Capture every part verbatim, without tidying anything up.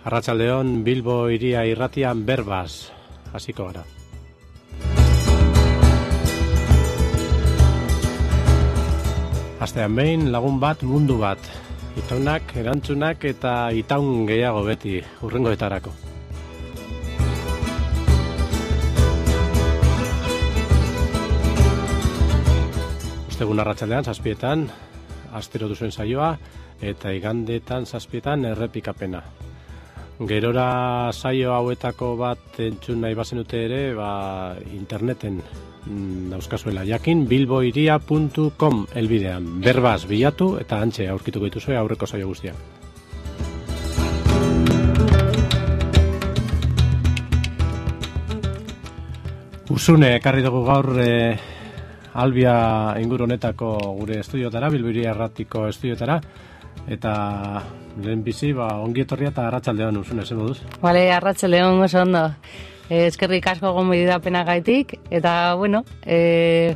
Arratsaldeon Bilbo hiria irratian berbaz hasiko gara. Astean behin lagun bat mundu bat. Itaunak, erantzunak eta itaun gehiago beti hurrengoetarako. Ostegun arratsaldean zazpietan astero duzuen saioa eta igandetan zazpietan errepikapena. Gerora saio hauetako bat entzun nahi bazenute ere, ba, interneten dauzkazuela jakin bilboiria puntu com elbidean. Berbaz bilatu eta hantxe aurkituko dituzue aurreko saio guztiak. Usune ekarri dugu gaur e, Albia inguru honetako gure estudiotara, Bilboiria erratiko estudiotara, eta lehen bizi, ba, ongi etorria eta arratsaldeon Usune, zen moduz? Bale, arratsaldeon oso ondo. Eh, eskerrik asko gonbidapena gaitik, eta, bueno, eh,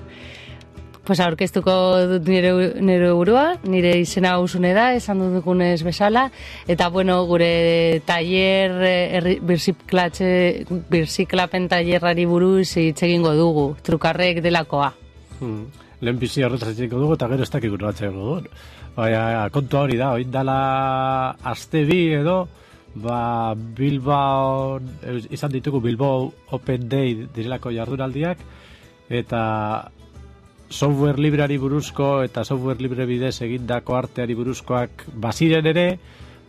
pues aurkeztuko dut nire, nire burua, nire izena Usune da, esan dugunez bezala, eta, bueno, gure taller, erri, birziklapen tallerrari buruz hitz egingo dugu, trukarrek delakoa. Hmm. Lehen bizi horretzatzeko dugu eta gero ez dakik urbatzeko dugu. Baina, kontua hori da, hori dala aste bi edo, ba, Bilbao, izan ditugu Bilbao Open Day direlako jardunaldiak, eta software libreari buruzko eta software libre bidez egindako arteari buruzkoak baziren ere,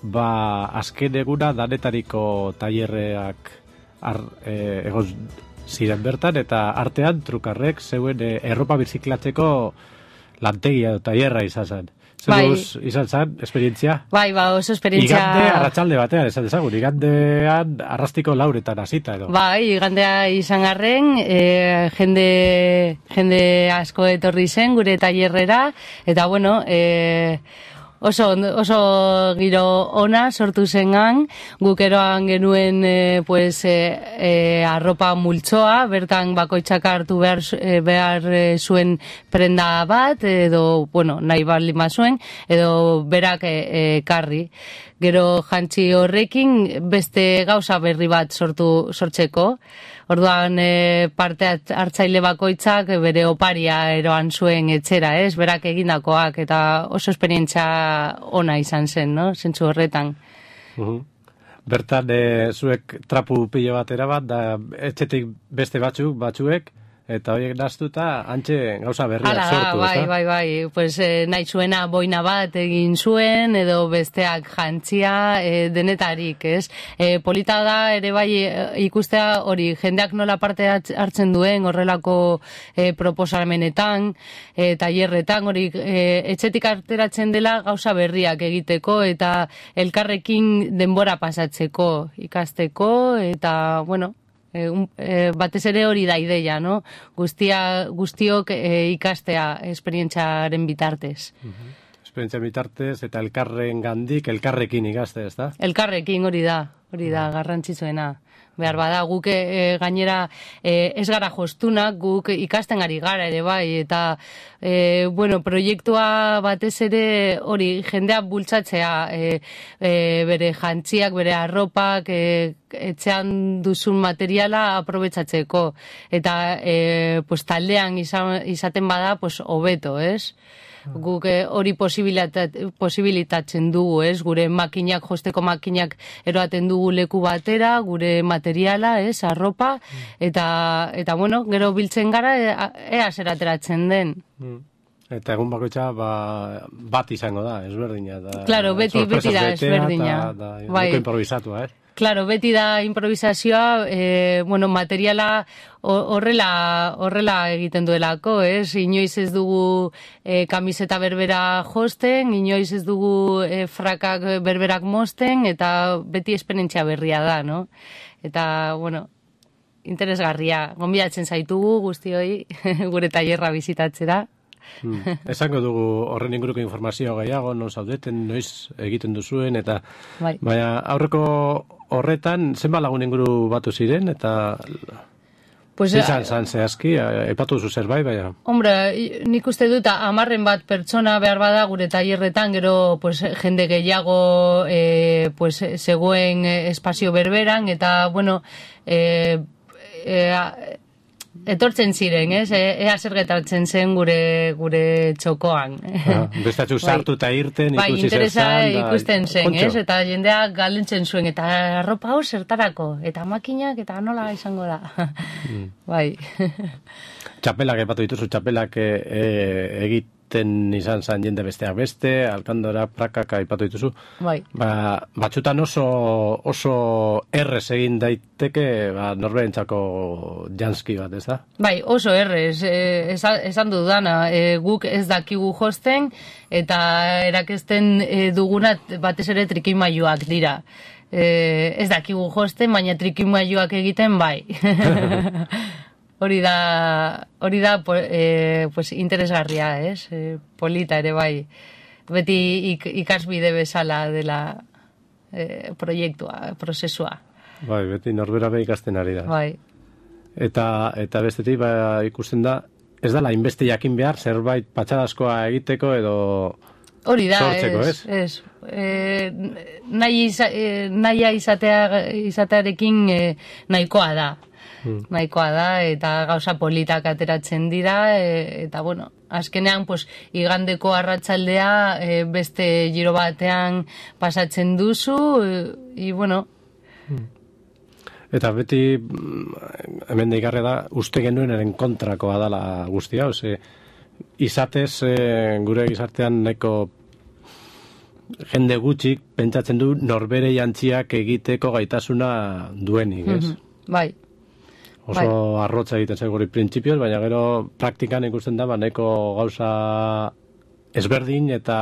ba, azken eguna danetariko tailerreak ar, e, egon ziren bertan, eta artean trukarrek zeuen e, erropa birziklatzeko lantegia eta tailerra izan zen. Zeguz, bai. Izan zen, esperientzia? Bai, ba, oso esperientzia... Igande arratsalde batean, esan dezagun, igandean arrastiko lauretan hasita edo. Bai, igandea izan garren, e, jende, jende asko etorri zen gure tailerrera, eta bueno, e, Oso, oso giro ona sortu zengan, guk eroan genuen e, pues, e, e, arropa multzoa, bertan bakoitzak hartu behar, e, behar e, zuen prenda bat, edo, bueno, nahi baldin bazuen, edo berak e, e, karri. Gero jantzi horrekin beste gauza berri bat sortu sortzeko. Orduan e, parte hartzaile bakoitzak bere oparia eroan zuen etxera, ez? Berak egindakoak eta oso esperientzia ona izan zen, no? Zentzu horretan. Uh-huh. Bertan e, zuek trapu pilo bat erabat, da etxetik beste batzuk, batzuek, eta horiek naztuta antxe gauza berriak Ala, sortu, bai, ez da? Bai, bai, pues, eh, nahi zuena boina bat egin zuen, edo besteak jantzia, eh, denetarik, ez? Eh, polita da, ere bai, ikustea hori, jendeak nola parte hartzen duen, horrelako eh, proposamenetan, eh, tailerretan, hori, eh, etxetik ateratzen dela gauza berriak egiteko, eta elkarrekin denbora pasatzeko, ikasteko, eta, bueno, E, un, e, batez ere hori da ideia, no? Guztia, guztiok e, ikastea esperientziaren bitartez. Uh-huh. Esperientzia bitartez eta elkarren gandik, elkarrekin ikaste, ez da? Elkarrekin hori da, hori da, garrantzitsuena. Behar bada, guk e, gainera e, ez gara jostunak, guk ikasten ari gara ere bai, eta e, bueno, proiektua batez ere hori jendea bultzatzea, e, e, bere jantziak, bere arropak, e, etxean duzun materiala aprobetsatzeko, eta e, pues, taldean izan, izaten bada pues, hobeto, ez? Guk hori posibilitatzen dugu, ez? Gure makinak, josteko makinak eroaten dugu leku batera, gure materiala, ez? Arropa, eta, eta bueno, gero biltzen gara, ea zer ateratzen den. Eta egun bakoitza ba, bat izango da, ezberdina. Da, claro, beti, beti da ezberdina. Da, da, bai. Improvisatua, eh? Claro, beti da improvisazioa, eh, bueno, materiala horrela horrela egiten duelako, ez? Inoiz ez dugu eh, kamiseta berbera josten, inoiz ez dugu eh, frakak berberak mosten, eta beti esperientzia berria da, no? Eta, bueno, interesgarria. Gonbidatzen zaitugu guztioi gure tailerra bizitatzera. Hmm. Esango dugu horren inguruko informazio gehiago, non zaudeten, noiz egiten duzuen, eta bai. Baina aurreko horretan zenbat lagun inguru batu ziren, eta... Pues, Izan zan zehazki, epatu zu zerbait, baina... Hombre, nik uste dut hamarren bat pertsona behar bada gure tailerretan, gero pues, jende gehiago e, pues, zegoen espazio berberan, eta, bueno, e, e, etortzen ziren, ez? Ea zer gertatzen zen gure gure txokoan. Ah, bestatxu sartu eta irten, bai, ikusi zer interesa zan. ikusten zen, Kontxo. ez? Eta jendeak galentzen zuen, eta arropa hau zertarako, eta makinak, eta nola izango da. Mm. Bai. Txapelak epatu dituzu, txapelak e, e, egiten izan zan jende besteak beste, alkandora, prakak aipatu dituzu. Bai. Ba, batxutan oso, oso errez egin daiteke ba, norberentzako janski bat, ez da? Bai, oso errez, e, esan, esan dudana, e, guk ez dakigu josten, eta erakesten e, dugunat batez ere trikimailuak dira. E, ez dakigu josten, baina trikimailuak egiten bai. Hori da, hori da e, pues, interesgarria, ez? E, polita ere bai. Beti ik, ikasbide bezala dela e, proiektua, prozesua. Bai, beti norbera be ikasten ari da. Bai. Eta, eta bestetik ba, ikusten da, ez dala inbeste jakin behar, zerbait patxadazkoa egiteko edo hori da, sortzeko, ez? ez? ez. E, nahi iza, e, nahia izatea, izatearekin e, nahikoa da. Hmm. Nahikoa da, eta gauza politak ateratzen dira, e, eta bueno, azkenean, pues, igandeko arratsaldea e, beste giro batean pasatzen duzu, e, i bueno. Hmm. Eta beti, hemen deigarre da, uste genuenaren kontrakoa dala guztia, ose, izatez, e, gure gizartean nahiko jende gutxik pentsatzen du norbere jantziak egiteko gaitasuna duenik, ez? Mm-hmm. Bai. Oso bai. arrotza egiten zen guri printzipioz, baina gero praktikan ikusten da, nahiko gauza ezberdin eta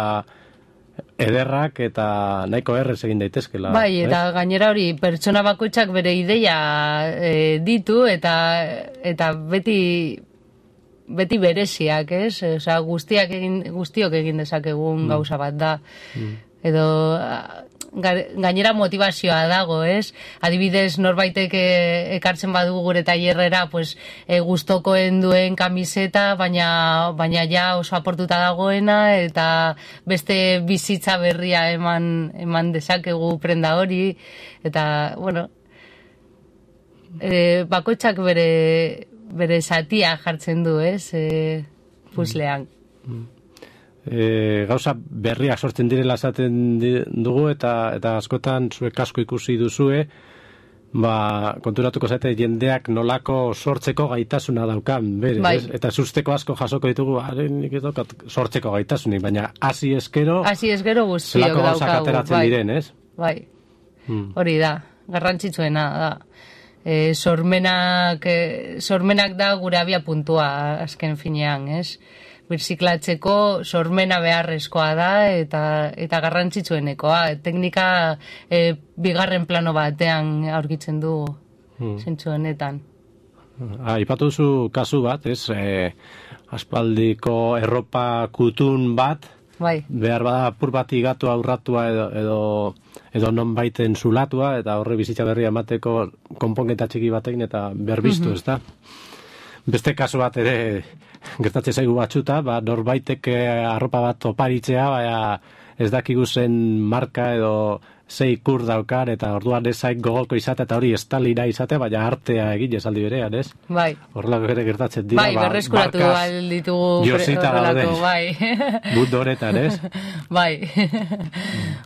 ederrak eta nahiko errez egin daitezkela. Bai, eta ez? Gainera hori pertsona bakoitzak bere ideia e, ditu eta eta beti beti bereziak, ez? Osea, guztiak egin guztiok egin dezakegun mm. gauza bat da. Mm. Edo gainera motivazioa dago, ez? Adibidez, norbaitek ekartzen badu gure tailerrera, pues, e, gustokoen duen kamiseta, baina, baina ja oso aportuta dagoena, eta beste bizitza berria eman, eman dezakegu prenda hori, eta, bueno, e, bakoitzak bere, bere satia jartzen du, ez? E, puzlean. Mm. E, gauza berriak sortzen direla esaten dugu eta eta askotan zuek asko ikusi duzue, ba, konturatuko zaite jendeak nolako sortzeko gaitasuna daukan, berez, bai. Eta susteko asko jasoko ditugu, nik ez daukat sortzeko gaitasunik, baina hasi eskero hasi eskero guztiok daukagu, gauzak ateratzen bai. Diren, ez? Bai, hmm. Hori da, garrantzitsuena da. E, sormenak, e, sormenak da gure abia puntua azken finean, ez? Birziklatzeko sormena beharrezkoa da eta eta garrantzitsuenekoa. Teknika e, bigarren plano batean aurkitzen du hmm. zentzu honetan. Aipatu duzu kasu bat, ez? E, aspaldiko erropa kutun bat, bai. Behar bada apur bat igatu aurratua edo, edo, edo non baiten zulatua, eta horre bizitza berria emateko konponketa txiki batekin eta berbiztu, mm-hmm. ez da? Beste kasu bat ere gertatzen zaigu batzuta, ba, norbaitek arropa bat oparitzea, baina ez dakigu zen marka edo zei ikur daukan, eta orduan ezaik gogoko izate, eta hori estalina izate, baina artea egin esaldi berean, ez? Bai. Horrelako ere gertatzen dira, bai, ba, berreskuratu alditugu horrelako, bai. Mundu honetan, ez? Bai.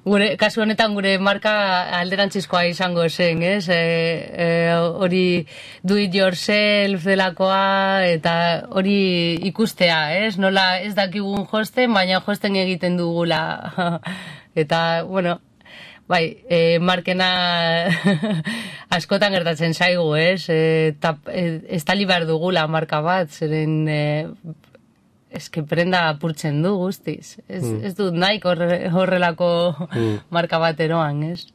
Gure, kasu honetan gure marka alderantzizkoa izango zen, ez? E, e, hori do it yourself delakoa, eta hori ikustea, ez? Nola ez dakigun josten, baina josten egiten dugula. Eta, bueno, bai, e, markena askotan gertatzen zaigu, ez? E, tap, e, estali behar dugula marka bat, zeren e, eske prenda apurtzen du guztiz. Ez, mm. ez dut nahi horre, horrelako mm. marka bat eroan, ez?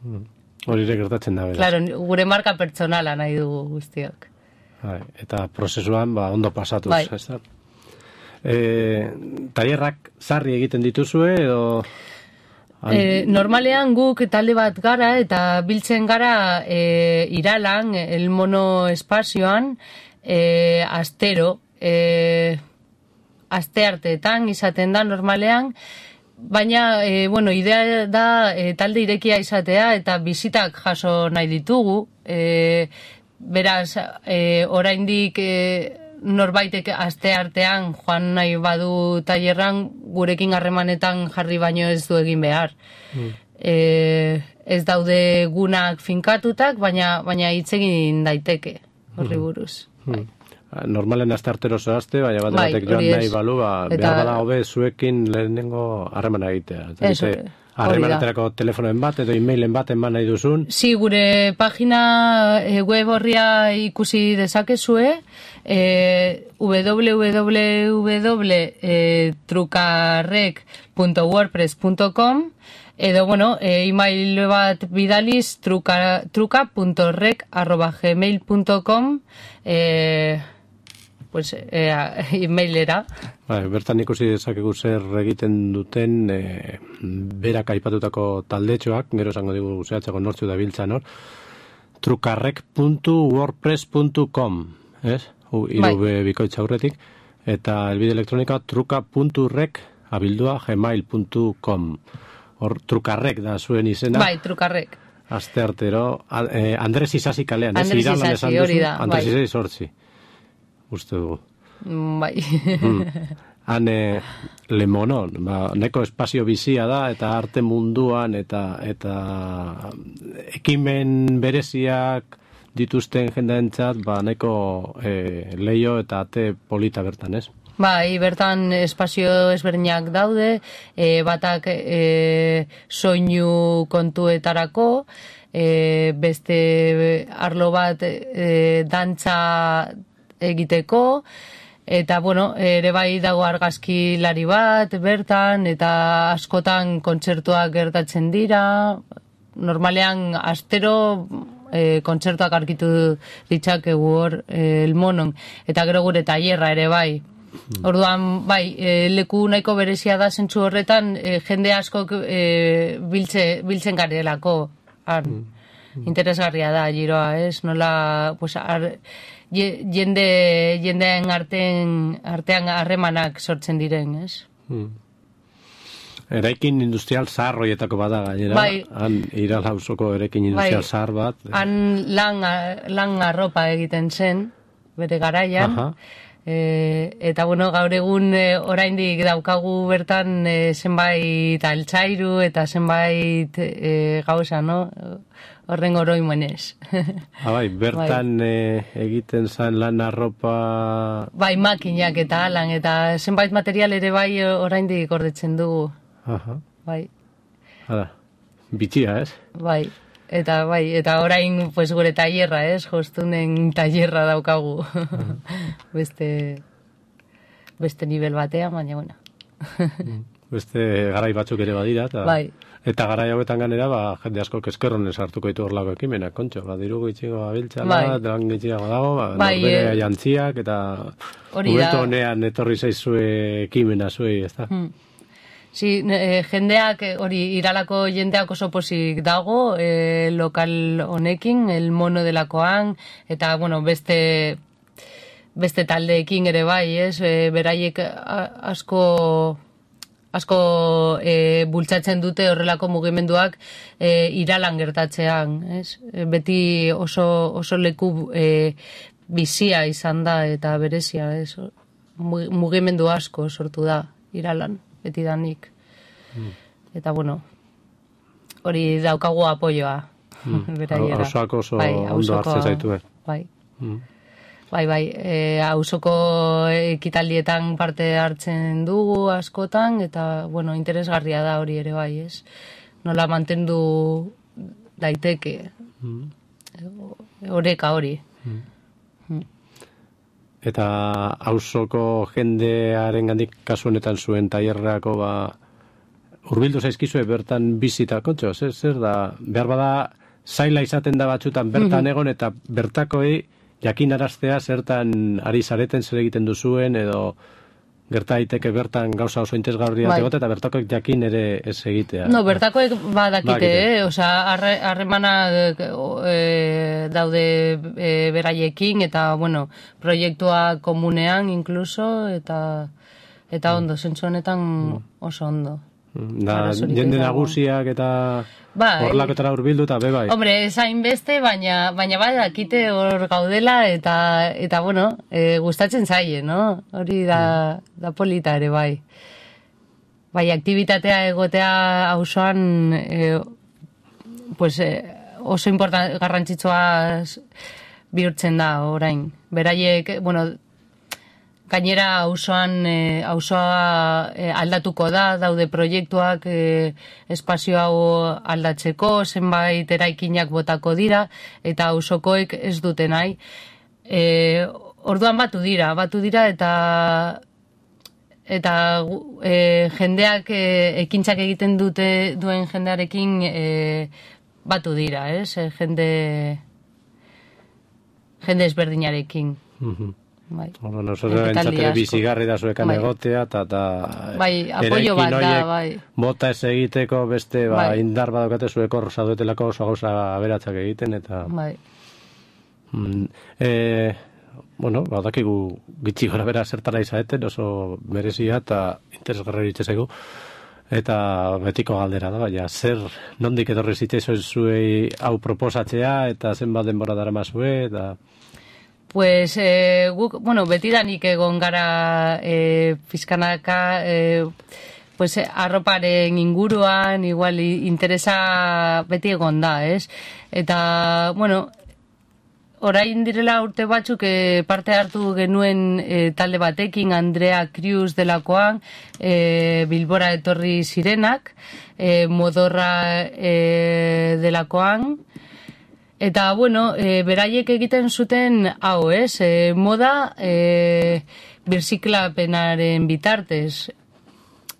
Mm. Hori ere gertatzen da, beraz. Claro, gure marka pertsonala nahi dugu guztiok. Bai, eta prozesuan ba, ondo pasatuz, bai. Ez da? E, tailerrak sarri egiten dituzue, edo... E, normalean guk talde bat gara eta biltzen gara e, Iralan, El Mono espazioan, e, astero, e, astearteetan izaten da normalean, baina, e, bueno, idea da e, talde irekia izatea eta bizitak jaso nahi ditugu, e, beraz, e, oraindik e, norbaitek aste artean joan nahi badu tailerran gurekin harremanetan jarri baino ez du egin behar. Mm. E, ez daude gunak finkatutak, baina baina hitz egin daiteke horri buruz. Mm. Bai. Normalen astartero zoazte, baina bat bai, batek joan nahi balu, ba, eta... behar bada hobe zuekin lehenengo harremana egitea. Eso, harremanetarako telefonoen bat edo e-mailen bat eman nahi duzun. Si, gure pagina e, web horria ikusi dezakezue, e, w w w punto trukarrek punto wordpress punto com edo, bueno, e, email bat bidaliz truka, truka punto rek arroba gmail punto com e, pues, e, emailera. Bai, bertan ikusi dezakegu zer egiten duten e, berak aipatutako taldetxoak, gero esango digu zehatzeko nortzu da biltzan hor, trukarrek punto wordpress punto com, ez? Iru bai. Bikoitza aurretik, eta elbide elektronika truka punto rek abildua gmail punto com. Hor, trukarrek da zuen izena. Bai, trukarrek. Aste artero, eh, Andres Isasi kalean, Andres ez? Isasi, hori da. Andres bai. Isasi sortzi. Uste dugu. Bai. mm. Han eh, Lemonon, ba, neko espazio bizia da, eta arte munduan, eta eta ekimen bereziak dituzten jendaentzat, ba, neko eh, leio eta ate polita bertan, ez? Bai, bertan espazio ezberdinak daude, e, batak e, soinu kontuetarako, e, beste arlo bat e, dantza egiteko, eta, bueno, ere bai dago argazkilari bat bertan, eta askotan kontzertuak gertatzen dira, normalean astero e, kontzertuak arkitu ditzakegu hor e, El Monon, eta gero gure tailerra ere bai. Orduan, bai, e, leku nahiko berezia da zentzu horretan, e, jende askok e, biltze, biltzen garelako. Han, interesgarria da, giroa, ez? Nola, pues, ar, jende, jendeen artean, artean harremanak sortzen diren, ez? Hmm. Eraikin industrial zahar horietako bada gainera, bai. Han Iral auzoko eraikin industrial bai. Zahar bat. Han lan, lan arropa egiten zen, bere garaian. Aha. E, eta, bueno, gaur egun e, oraindik daukagu bertan e, zenbait altzairu eta zenbait e, gauza, no? Horren oroimenez. Ah, bai, bertan bai. E, egiten zen lan arropa... Bai, makinak eta alan, eta zenbait material ere bai oraindik gordetzen dugu. Aha. Bai. Hala, bitxia, ez? Bai. Eta bai, eta orain pues gure tailerra, ez? Jostunen tailerra daukagu. beste beste nivel batean, baina bueno. Beste garai batzuk ere badira eta bai. Eta garai hauetan ganera, ba jende asko eskerronen sartuko ditu horlako ekimenak, kontxo, ba diru gitxigo gabiltzala, bai. Lan gitxiago dago, ba bai, norbere e... jantziak eta momentu honean etorri zaizue ekimena zuei, ezta? Hmm. Si, e, jendeak, hori, Iralako jendeak oso posik dago, e, lokal honekin, El Mono delakoan, eta, bueno, beste, beste taldeekin ere bai, ez? E, beraiek asko, asko e, bultzatzen dute horrelako mugimenduak e, Iralan gertatzean, ez? E, beti oso, oso leku e, bizia izan da eta berezia, ez? Mugimendu asko sortu da Iralan. Betidanik. Mm. Eta, bueno, hori daukagu apoioa. Mm. Beraiera. Hausoak oso bai, ondo hartzen zaituen. Bai. Mm. Bai, bai. E, hausoko ekitaldietan parte hartzen dugu askotan, eta, bueno, interesgarria da hori ere bai, ez? Nola mantendu daiteke. Mm. Oreka hori. Mm. Mm. Eta auzoko jendearen gandik kasu honetan zuen tailerrako ba hurbildu zaizkizue bertan bizita kontxo, zer, zer da, behar bada zaila izaten da batzutan bertan mm-hmm. egon eta bertakoei jakinaraztea zertan ari zareten zer egiten duzuen edo gerta daiteke bertan gauza oso interesgarria Bai. egote eta bertakoek jakin ere ez egitea. No, bertakoek badakite, Badakite. eh? Osea, harre- harremana e, daude e, beraiekin, eta, bueno, proiektua komunean, incluso, eta eta ondo, zentzu honetan oso ondo. Da, Arazorik jende ez dago. nagusiak eta Bai. horlakotara hurbildu eta be bai. Hombre, ez hainbeste, baina, baina bai dakite hor gaudela, eta, eta bueno, e, gustatzen zaie, no? Hori da, da polita ere, bai. Bai, aktibitatea egotea auzoan e, pues, e, oso important, garrantzitsua bihurtzen da orain. Beraiek, bueno, gainera auzoan e, auzoa e, aldatuko da, daude proiektuak e, espazio hau aldatzeko, zenbait eraikinak botako dira, eta auzokoek ez dute nahi. E, orduan batu dira, batu dira eta eta e, jendeak e, ekintzak egiten dute duen jendearekin e, batu dira, ez? E, jende jende ezberdinarekin. Mhm. Bai. Bueno, oso Ekitaldi entzatele asko. bizigarri da zuekan Bai. egotea, eta ta, Bai, apoio bat da, bai. Bota ez egiteko beste ba, Bai. indar badokate zueko zaudetelako oso gauza aberatsak egiten, eta... Bai. Mm, e, bueno, badakigu gitxi gora bera zertara izaeten, oso merezia eta interesgarri zaigu. Eta betiko galdera da, baina zer nondik etorri zitzaizuen zuei hau proposatzea, eta zenbat denbora daramazue, eta... Pues, eh, guk, bueno, betidanik egon gara eh, pizkanaka, eh, pues, arroparen inguruan, igual, interesa beti egon da, ez? Eta, bueno, orain direla urte batzuk eh, parte hartu genuen eh, talde batekin, Andrea Krius delakoan, eh, Bilbora etorri zirenak, eh, Modorra eh, delakoan, eta, bueno, e, beraiek egiten zuten hau, ez? E, moda e, birziklapenaren bitartez.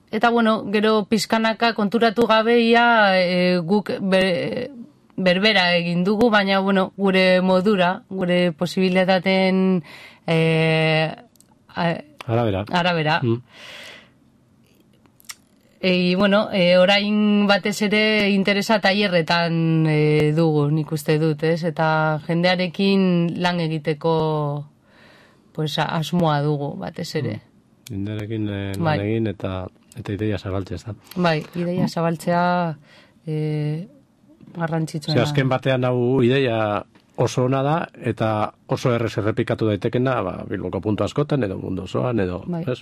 Eta, bueno, gero pizkanaka konturatu gabeia e, guk ber, berbera egin dugu, baina, bueno, gure modura, gure posibilitaten e, arabera. arabera. Mm. E, bueno, e, orain batez ere interesa tailerretan e, dugu, nik uste dut, ez? Eta jendearekin lan egiteko pues, asmoa dugu batez ere. Indarekin eh, lan Bai. egin eta eta ideia zabaltzea, ez da. Bai, ideia zabaltzea e, garrantzitsuena. Ze azken batean hau ideia oso ona da, eta oso errez errepikatu daitekena, ba, Bilboko puntu askotan, edo mundu osoan, edo, Bai. ez?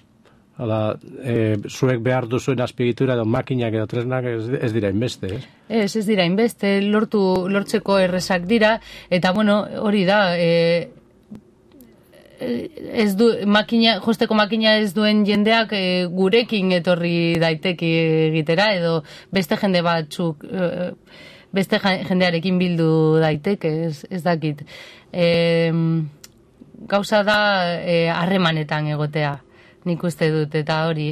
Hala, e, zuek behar duzuen azpigitura edo makinak edo tresnak ez, ez dira inbeste, ez? Ez, ez dira inbeste, lortu, lortzeko errezak dira, eta bueno, hori da, e, ez du, makina, josteko makina ez duen jendeak e, gurekin etorri daiteki egitera, edo beste jende batzuk, e, beste jendearekin bildu daiteke, ez, ez dakit. E, gauza da e, harremanetan egotea. Nik uste dut, eta hori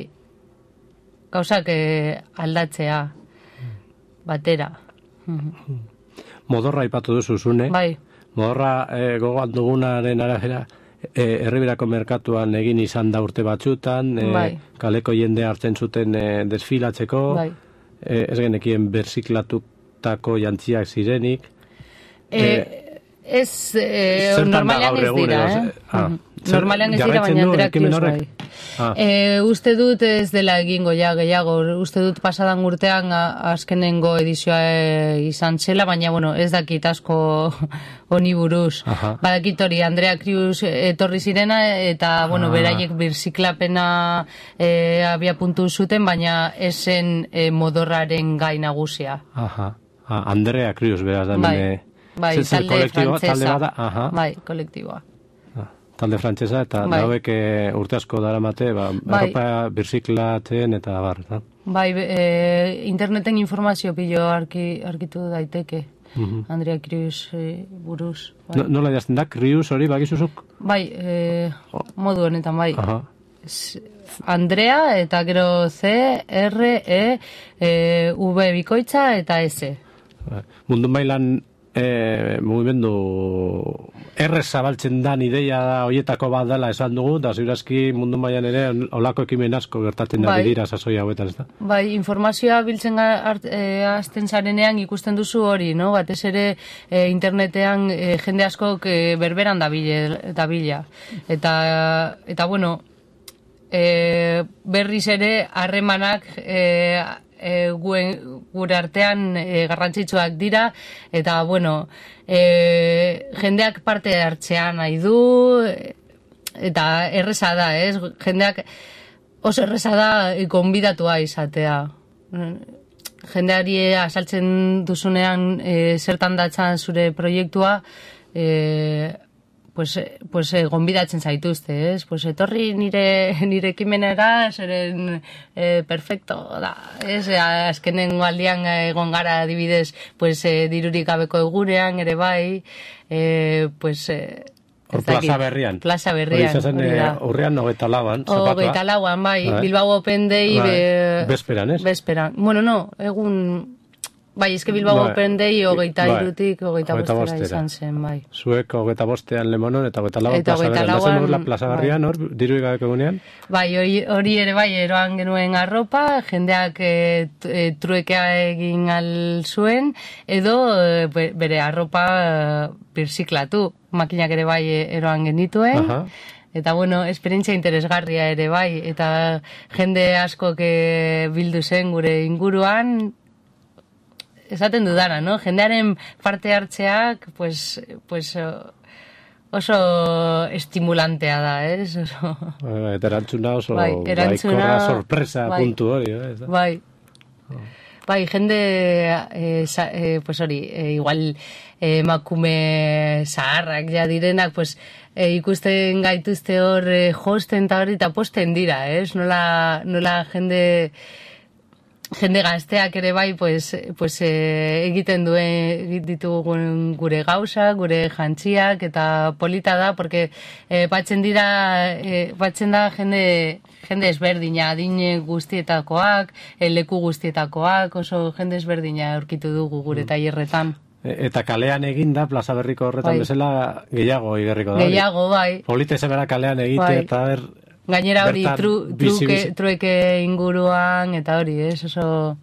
gauzak eh, aldatzea batera. Modorra aipatu duzu zune. Bai, Modorra eh, gogoan dugunaren arabera eh, herriberako merkatuan egin izan da urte batzutan, eh, Bai. kaleko jende hartzen zuten eh, desfilatzeko, bai. eh, ez genekien berziklatutako jantziak zirenik. Eh, ez, eh, Zertan da normalean gaur ez egun, dira, edo, eh? ze- ah, Mhm. zer- Normalean ez dira, jarraitzen baina du Andrea ekimen Krius bai. horrek? Ah. E, uste dut ez dela egingo ja gehiago, uste dut pasadan urtean a- azkenengo edizioa e, izan zela, baina bueno, ez dakit asko honi buruz. Aha. Badakit hori, Andrea Krius etorri zirena, eta bueno, Ah. beraiek birziklapena e, abia puntu zuten, baina esen e, modorraren gai nagusia. Aha. Ah, Andrea Krius, beraz da. Bai, hemen, eh, bai, zer- zer talde kolektiboa, talde frantsesa. bada, aha. Bai, kolektiboa. Ah, talde frantsesa, eta Bai. hauek eh, urte asko daramate, ba, Bai. Europa birziklatzen eta bar, eta. Bai, e, interneten informazio pilo arki, arkitu daiteke. Mhm. Andrea Krius e, buruz. Bai, No, nola idazten da, Krius hori bagizuzuk? bai e, modu honetan, bai. Aha. S- Andrea eta gero C, R, E, e V bikoitza eta S. Bai. Mundu mailan e, mugimendu errez zabaltzen dan ideia horietako bat dela esan dugu, da ziurazki mundu mailan ere olako ekimen asko gertatzen da Bai. dira sasoi hauetan, ez da? Bai, informazioa biltzen hart, e, azten zarenean ikusten duzu hori, no? Batez ere e, internetean e, jende askok e, berberan dabile, dabila. Eta, eta bueno, e, berriz ere harremanak e, e, guen, gure artean e, garrantzitsuak dira, eta bueno, e, jendeak parte hartzean nahi du, eta erreza da, ez? Jendeak oso erreza da gonbidatua izatea. Jendeari azaltzen duzunean e, zertan datzan zure proiektua, e, pues, pues eh, gonbidatzen zaituzte, ez? Pues etorri nire, nire ekimenera, zeren eh, perfecto da, ez? Azkenen aldian egon gara adibidez, pues eh, dirurik gabeko egunean ere bai, eh, pues... Eh, Hor plaza berrian. Plaza berrian, hori da. Urrian hogeita lauan, zapatua. Hogeita lauan, bai, Bilbao Open Day... Bai. Be, Bezperan, ez? Bezperan. Bueno, no, egun... Bai, eske Bilbao Bai. Open Day hogeita Bai. irutik hogeita Hogeita bostera bostera. izan zen, bai. Zuek hogeita bostean Lemonon eta hogeita lauan Eta plaza hogeita berrian. lauan, Dazen hor la plaza bai. berrian, hor, diru gabeko egunean? Bai, hori, hori ere bai, eroan genuen arropa, jendeak e, t- e, truekea egin al zuen, edo e, be- bere arropa e, birziklatu. Makinak ere bai e, eroan genituen. Aha. Eta bueno, esperientzia interesgarria ere bai, eta jende asko bildu zen gure inguruan, esaten dudana, no? Jendearen parte hartzeak, pues, pues oso estimulantea da, ez? Oso... Bai, eta erantzuna oso Bai, erantzuna- baikorra sorpresa bai. puntu hori, ez da? Bai. Bai, jende, eh, sa, eh, pues hori, eh, igual eh, emakume zaharrak ja direnak, pues eh, ikusten gaituzte hor eh, josten eta hori eta posten dira, ez? Nola, nola jende... Jende gazteak ere bai, pues, pues, eh, egiten duen ditugun gure gauza, gure jantziak, eta polita da, porque eh, batzen dira, eh, batzen da jende, jende ezberdina, adine guztietakoak, eh, leku guztietakoak, oso jende ezberdina aurkitu dugu gure tailerretan. E- Eta kalean eginda, plaza berriko horretan Bai. bezala, gehiago igerriko da. hori. Gehiago, bai. Polita izan bera kalean egite, Bai. eta ber... Gainera hori bertan tru, bizi- truke, bizi- trueke inguruan, eta hori, ez, oso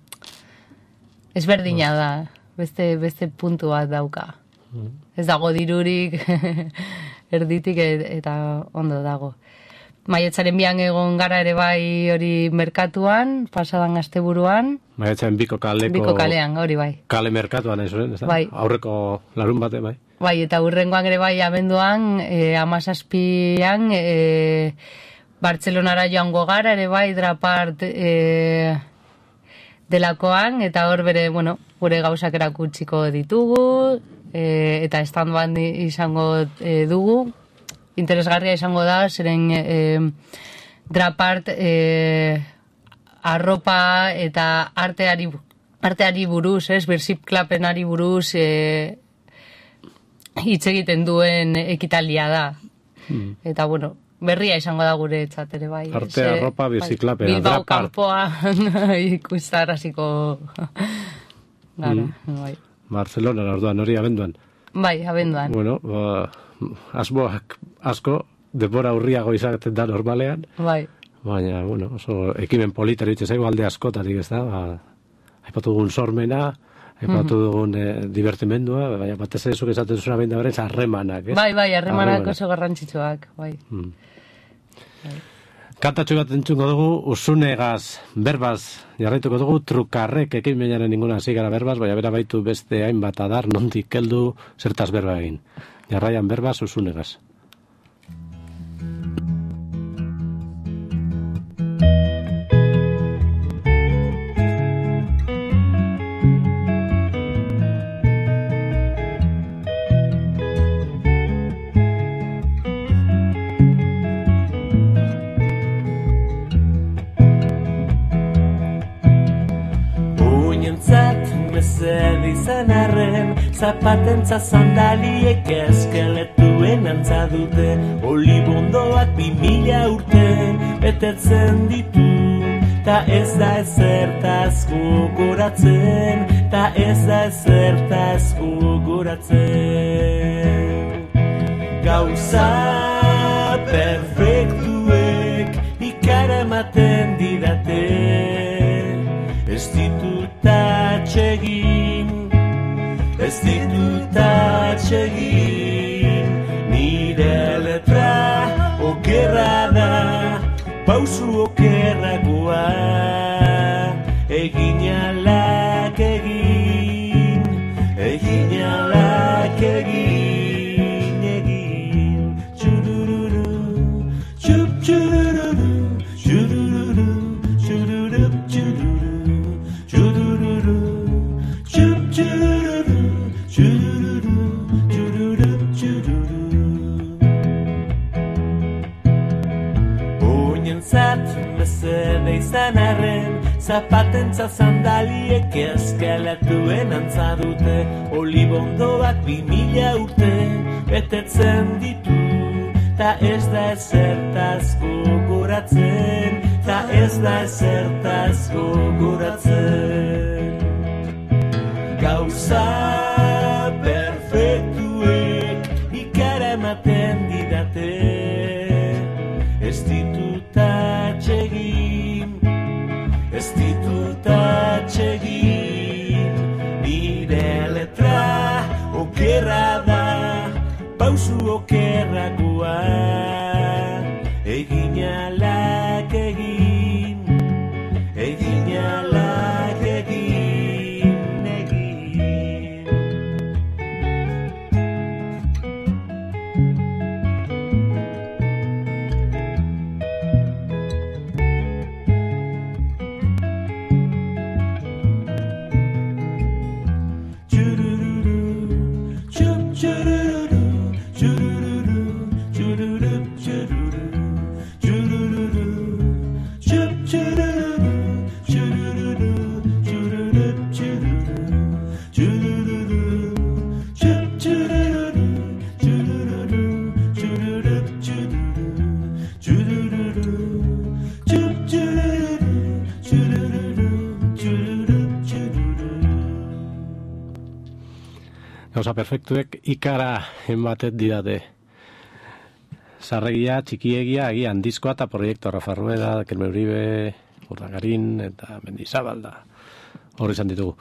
ezberdina da, beste, beste puntu bat dauka. Ez dago dirurik erditik e- eta ondo dago. Maiatzaren bian egon gara ere bai hori merkatuan, pasadan asteburuan, Maiatzen biko kaleko... biko kalean, hori bai. Kale merkatuan, ez zuen, ez da? Bai. Aurreko larun bate, bai. Bai, eta hurrengoan ere bai abenduan, e, amazazpian, e, Bartzelonara joango gara, ere bai, drapart e, delakoan, eta hor bere, bueno, gure gauzak erakutsiko ditugu, e, eta stand bat izango e, dugu. Interesgarria izango da, zeren e, drapart e, arropa eta arteari, arteari buruz, ez, birziklapenari buruz, e, hitz egiten duen ekitaldia da. Hmm. Eta, bueno, berria izango da gure etxat ere bai. Arte, Ze- arropa, bai, biziklapena, Bilbao drapart. kanpoan ikustaraziko gara, Hmm. bai. Barcelona, orduan, hori abenduan. Bai, abenduan. Bueno, ba, asmoak asko, denbora urriago izaten da normalean, Bai, baina, bueno, oso ekimen polita eritxe zaigu alde askotarik, ez da? Ba, aipatu dugun sormena, aipatu dugun eh, divertimendua, baina batez ere zuk esaten zuzuna behin da berez, harremanak, ez? bai, bai, harremanak Harremanak. oso garrantzitsuak, bai. Hmm. Kantatxo bat entzungo dugu, usunegaz, berbaz, jarraituko dugu, trukarrek ekimenaren ninguna hasi gara berbaz, baina bera baitu beste hainbat adar, nondik heldu, zertaz berba egin. Jarraian berbaz, usunegaz. Uinentzat mezen izan arren, zapatentza sandaliek eskeletuen antza dute, olibondoak bi mila urte betetzen ditu, ta ez da ezertaz gogoratzen, ta ez da ezertaz gogoratzen. Gauza perfektuek ikara ematen didate, ez ditut atsegin, ez ditut atsegin, nire letra okerra da, pausu okerragoa, egin alak egin, egin alak egin, egin, txurururu, txup txurururu, txurururu, txururup txururu, txurururu, txup txurururu, txurururu, txururup txururu. Oinentzat mesede izan arren, zapatentza sandaliek eskeletuen antza dute, olibondoak bi mila urte betetzen ditu, ta ez da ezertaz gogoratzen, ta ez da ezertaz gogoratzen. Gauza perfektuek ikara ematen didate, ez ditut atsegin, ez ditut atsegin, nire letra okerra da, pausu okerragoa, egin alak egin, egin alak egin, egin. Gauza perfektuek ikara ematen didate. Sarregia, txikiegia, agian diskoa eta proiektu Rafa Rueda, Kerme Uribe, Urdangarin eta Mendizabalda. Horri izan ditugu.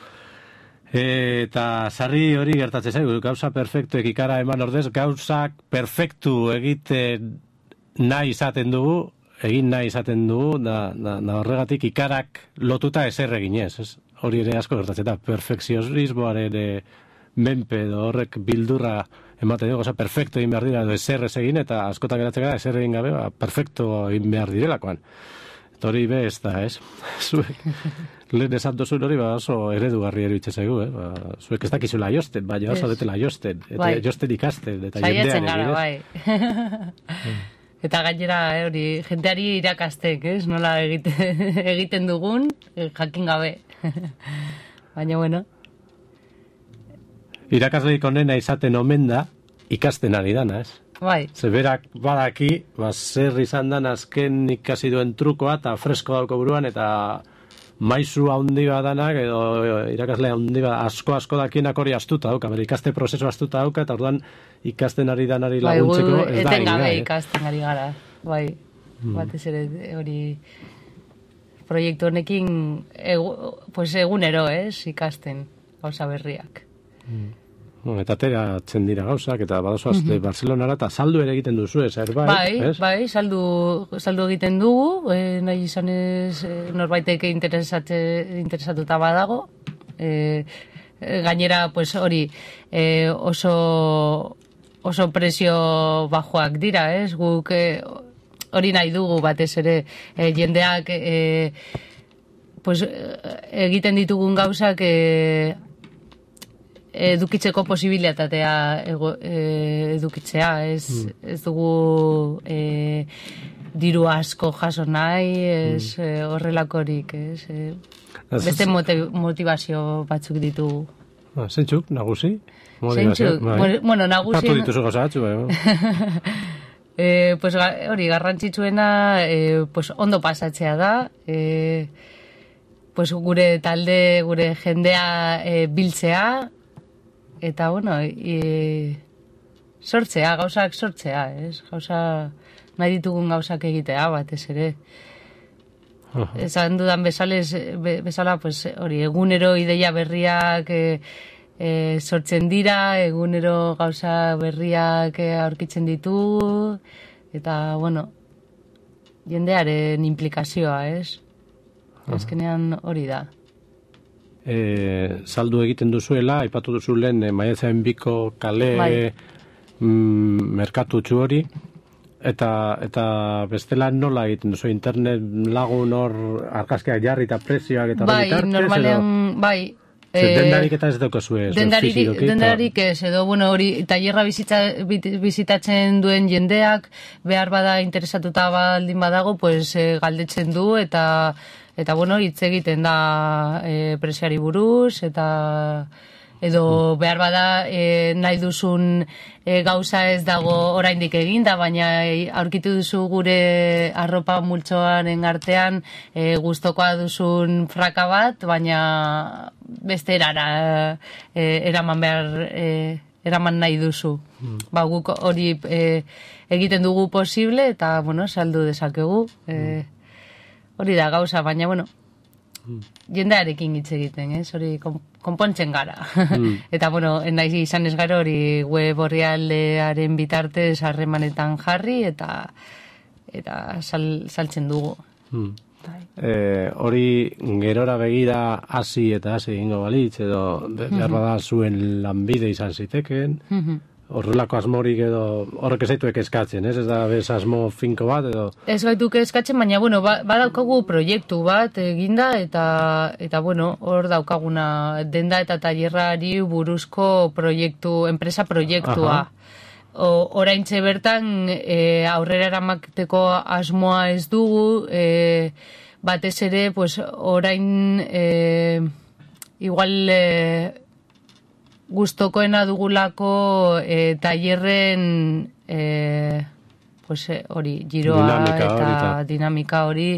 Eta sarri hori gertatzen zaigu, gauza perfektuek ikara eman ordez, gauzak perfektu egiten nahi izaten dugu, egin nahi izaten dugu, da, da, da horregatik ikarak lotuta ezer eginez. Ez? Hori ere asko gertatzen da, perfekzionismoaren e, menpe edo horrek bildurra ematen dugu, oza, perfecto egin behar dira, edo ezer ez egin, eta askotan geratzen gara, ezer egin gabe, ba, perfecto egin behar direlakoan. Eta hori be ez da, ez? Zuek, lehen esan duzun hori, ba, oso eredugarri eruditzen zaigu, eh? Ba, zuek ez dakizula josten, baina oso detela josten, eta bai. Josten ikasten, eta jendean egin, bai. Eta gainera, hori, jenteari irakastek, ez? Nola egiten, egiten dugun, jakin gabe. Baina, bueno. Irakasleik onena izaten omen da, ikasten ari dana, ez? Bai. Zeberak badaki, ba, zer izan dan azken ikasi duen trukoa, eta fresko dauko buruan, eta maizu handi badanak, edo irakasle handi bat, asko-asko dakienak hori astuta dauka, bere ikaste prozesu astuta dauka, eta orduan ikasten ari danari laguntzeko, bai, ez da egin gabe ikasten ari gara, bai, hmm. batez ere hori proiektu honekin egu, pues egunero, ez, ikasten gauza berriak. Hmm. Eta ateratzen dira gauzak, eta badozoaz mm-hmm. Barcelonara, eta saldu ere egiten duzu, ez, erbait? Bai, ez? bai, saldu, saldu egiten dugu, e, nahi izanez e, norbaitek interesatuta badago. E, gainera, pues hori, e, oso, oso presio bajoak dira, ez? Guk e, hori nahi dugu batez ere, e, jendeak e, pues, egiten ditugun gauzak e, edukitzeko posibilitatea edukitzea, ez, mm. ez dugu e, diru asko jaso nahi, ez mm. e, horrelakorik, ez, e, beste motivazio batzuk ditugu. Ah, zentzuk, nagusi? Zentzuk, bueno, nagusi... Tatu dituzu gauza batzu, bai. e, pues, hori, garrantzitsuena e, pues, ondo pasatzea da, e, pues, gure talde, gure jendea e, biltzea, eta, bueno, e, sortzea, gauzak sortzea, ez? Gauza, nahi ditugun gauzak egitea, batez ere. Uh -huh. Esan dudan bezales, be, bezala, pues, hori, egunero ideia berriak e, e, sortzen dira, egunero gauza berriak e, aurkitzen ditu, eta, bueno, jendearen implikazioa, ez? Uh -huh. Azkenean hori da. E, saldu egiten duzuela, aipatu duzu lehen, e, maiatzaren biko kale bai. mm, merkatutxu hori, Eta, eta bestela nola egiten duzu, internet lagun hor argazkiak jarri eta prezioak eta bai, bitartez, normalean, edo? Bai, eh, dendarik eta ez daukazue dendarik, dendarik ez, edo bueno, hori tailerra bizita, bizitatzen duen jendeak behar bada interesatuta baldin badago, pues eh, galdetzen du eta eta bueno, hitz egiten da eh, prezioari buruz eta edo behar bada e, nahi duzun e, gauza ez dago oraindik eginda, baina e, aurkitu duzu gure arropa multzoaren artean e, gustokoa duzun fraka bat, baina beste erara e, eraman behar e, eraman nahi duzu. Mm. Ba, guk hori e, egiten dugu posible eta, bueno, saldu dezakegu. E, hori da gauza, baina, bueno, jendearekin hitz egiten, ez? Hori konpontzen gara. Mm. Eta, bueno, nahi izan ez gara hori web orrialdearen bitartez harremanetan jarri eta eta sal, saltzen dugu. Mm. Eh, hori gerora begira hasi eta hasi egingo balitz, edo behar bada zuen lanbide izan ziteken, mm-hmm. Horrelako asmorik edo horrek ezaituek eskatzen, ez? Ez da bez asmo finko bat edo... Ez gaituk eskatzen, baina, bueno, ba, badaukagu proiektu bat eginda eta, eta bueno, hor daukaguna denda eta tailerrari buruzko proiektu, enpresa proiektua. O, oraintxe bertan e, aurrera eramateko asmoa ez dugu, e, batez ere, pues, orain e, igual... E, gustokoena dugulako e, tailerren e, pues hori giroa dinamika eta hori, dinamika hori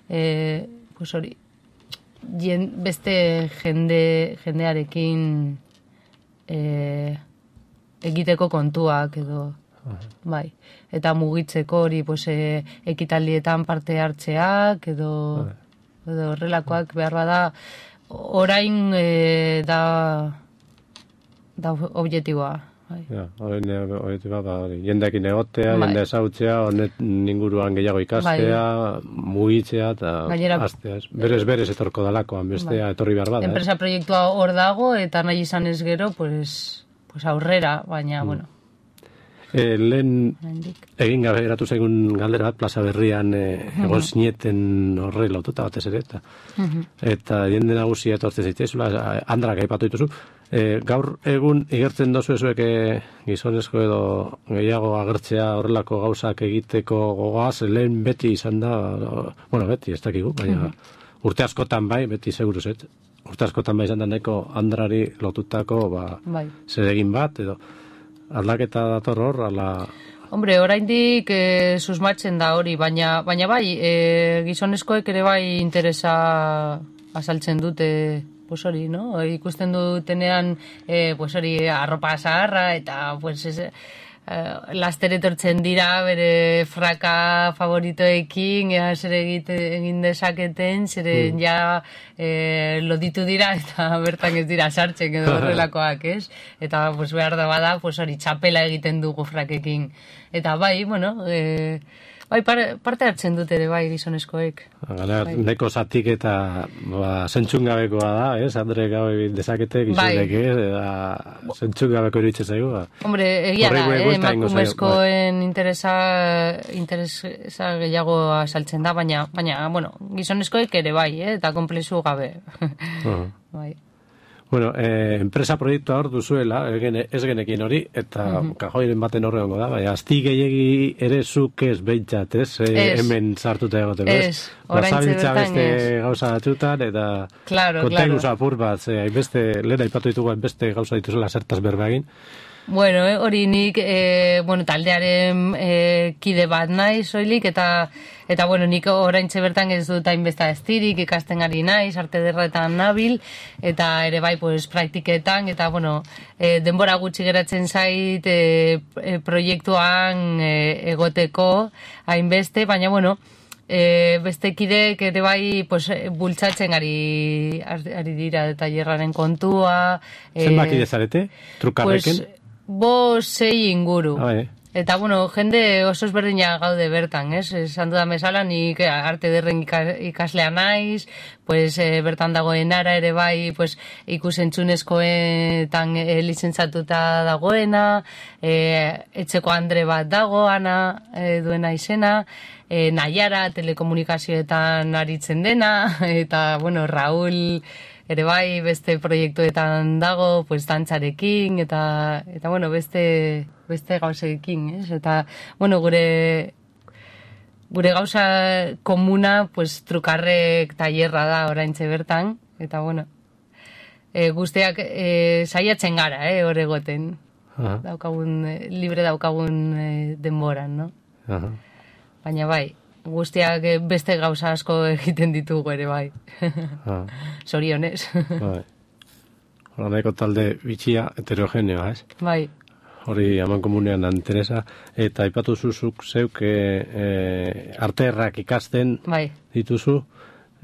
e, pues hori jen, beste jende jendearekin e, egiteko kontuak edo bai, eta mugitzeko hori pues e, ekitaldietan parte hartzeak edo edo horrelakoak behar bada orain e, da da objetiboa. Ja, objetiboa da hori. Jendeekin egotea, bai. Jende ezautzea, honet inguruan gehiago ikastea, bai. Mugitzea eta hastea. Berez berez etorko dalakoan, bestea bai. Etorri behar bada. Enpresa proiektua hor dago eta nahi izan ez gero, pues, pues aurrera, baina, mm. bueno. E, lehen egin gabe eratu zaigun galdera bat, plaza berrian e, egon zineten horre lotuta batez ere, eta, uh-huh. eta jende nagusia etortzen zitezula, Andrak aipatu dituzu. E, gaur egun igertzen dozu ezuek e, gizonezko edo gehiago agertzea horrelako gauzak egiteko gogoaz, lehen beti izan da, bueno, beti, ez dakigu, baina uh-huh. urte askotan bai, beti seguruz, et, urte askotan bai izan da nahiko Andrari lotutako ba, bai. Zeregin bat, edo aldaketa dator hor, ala... Hombre, oraindik e, susmatzen da hori, baina, baina bai, e, gizonezkoek ere bai interesa azaltzen dute, pues hori, no? Ikusten dutenean, e, pues hori, arropa zaharra, eta, pues, ez, e, laster etortzen dira, bere fraka favoritoekin, ea zer egin dezaketen, zeren mm. ja e, loditu dira, eta bertan ez dira sartzen edo horrelakoak, ez? Eta, pues, behar da bada, pues hori, txapela egiten dugu frakekin. Eta bai, bueno, e, bai, parte hartzen dut ere, bai, gizonezkoek. Gara, bai. Neko zatik eta ba, zentzungabekoa da, ez? Andre gabe dezakete, gizonek, bai. Ez? Eta zentzungabeko iruditzen zaigu. Ba. Hombre, egia da, eh? Emakumezkoen bai. interesa, interesa gehiago saltzen da, baina, baina, bueno, gizonezkoek ere bai, eh? Eta komplexu gabe. Uh-huh. Bai. Bueno, eh, enpresa proiektua hor duzuela, ez genekin hori, eta uh-huh. kajoiren baten horre hongo da, baina azti gehiagi ere zuk ez behintzat, ez? E, hemen sartuta egoteko, ez? Ez, oraintze bertan ez. Beste gauza batzutan, eta claro, kontenuz claro. apur bat, ze, beste, lehen aipatu ditugu beste gauza dituzela zertaz berba egin, Bueno, eh, hori nik, eh, bueno, taldearen eh, kide bat naiz, soilik, eta, eta bueno, nik oraintxe bertan ez dut hainbeste estirik, ikasten ari naiz, arte derretan nabil, eta ere bai, pues, praktiketan, eta bueno, eh, denbora gutxi geratzen zait eh, eh, proiektuan eh, egoteko hainbeste, baina bueno, E, beste kidek ere bai pues, bultzatzen ari, ari dira tailerraren kontua. Zenbat kide zarete? Trukarreken? Pues, bo sei inguru. Ah, bai. Eta, bueno, jende oso ezberdina gaude bertan, ez? Esan dudan bezala, nik arte derren ikaslea naiz, pues, e, bertan dagoen ara ere bai, pues, ikusentzunezkoetan e, lizentzatuta dagoena, e, etxeko Andre bat dago, Ana e, duena izena, e, Naiara telekomunikazioetan aritzen dena, eta, bueno, Raúl ere bai beste proiektuetan dago, pues, dantzarekin, eta, eta bueno, beste... beste gauzekin, ez? Eta, bueno, gure gure gauza komuna, pues, trukarrek tailerra da oraintxe bertan, eta, bueno, e, guztiak e, saiatzen gara, eh, hor egoten. Aha. Daukagun, e, libre daukagun e, denboran, no? Aha. Baina bai, guztiak e, beste gauza asko egiten ditugu ere bai. Sorionez. Bai. Hora nahiko talde bitxia heterogeneoa, ez? Bai. Hori aman komunean interesa, eta aipatu zuzuk zeuk e, e, arterrak ikasten bai. Dituzu,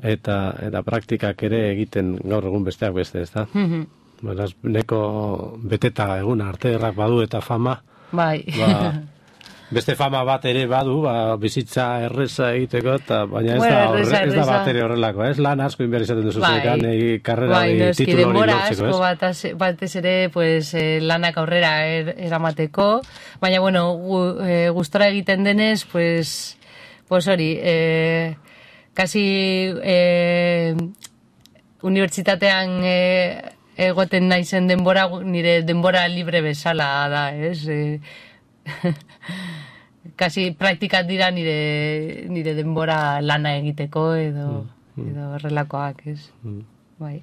eta eta praktikak ere egiten gaur egun besteak beste, ez da? Mm-hmm. Beraz, neko beteta eguna arterrak badu eta fama, bai. Ba, beste fama bat ere badu, ba, bizitza erreza egiteko, eta baina ez, bueno, da, erreza, ez da erreza. bat ere horrelako, ez? Lan asko inbehar izaten duzu bai. zekan, e, karrera bai, hori, titulo hori lortzeko, ez? batez, batez ere, pues, eh, lanak aurrera er, eramateko, baina, bueno, gu, eh, gustora egiten denez, pues, pues hori, eh, kasi eh, unibertsitatean eh, egoten naizen denbora, nire denbora libre bezala da, ez? Eh, kasi praktikat dira nire, nire denbora lana egiteko edo, mm, mm. edo horrelakoak, ez? Mm. Bai.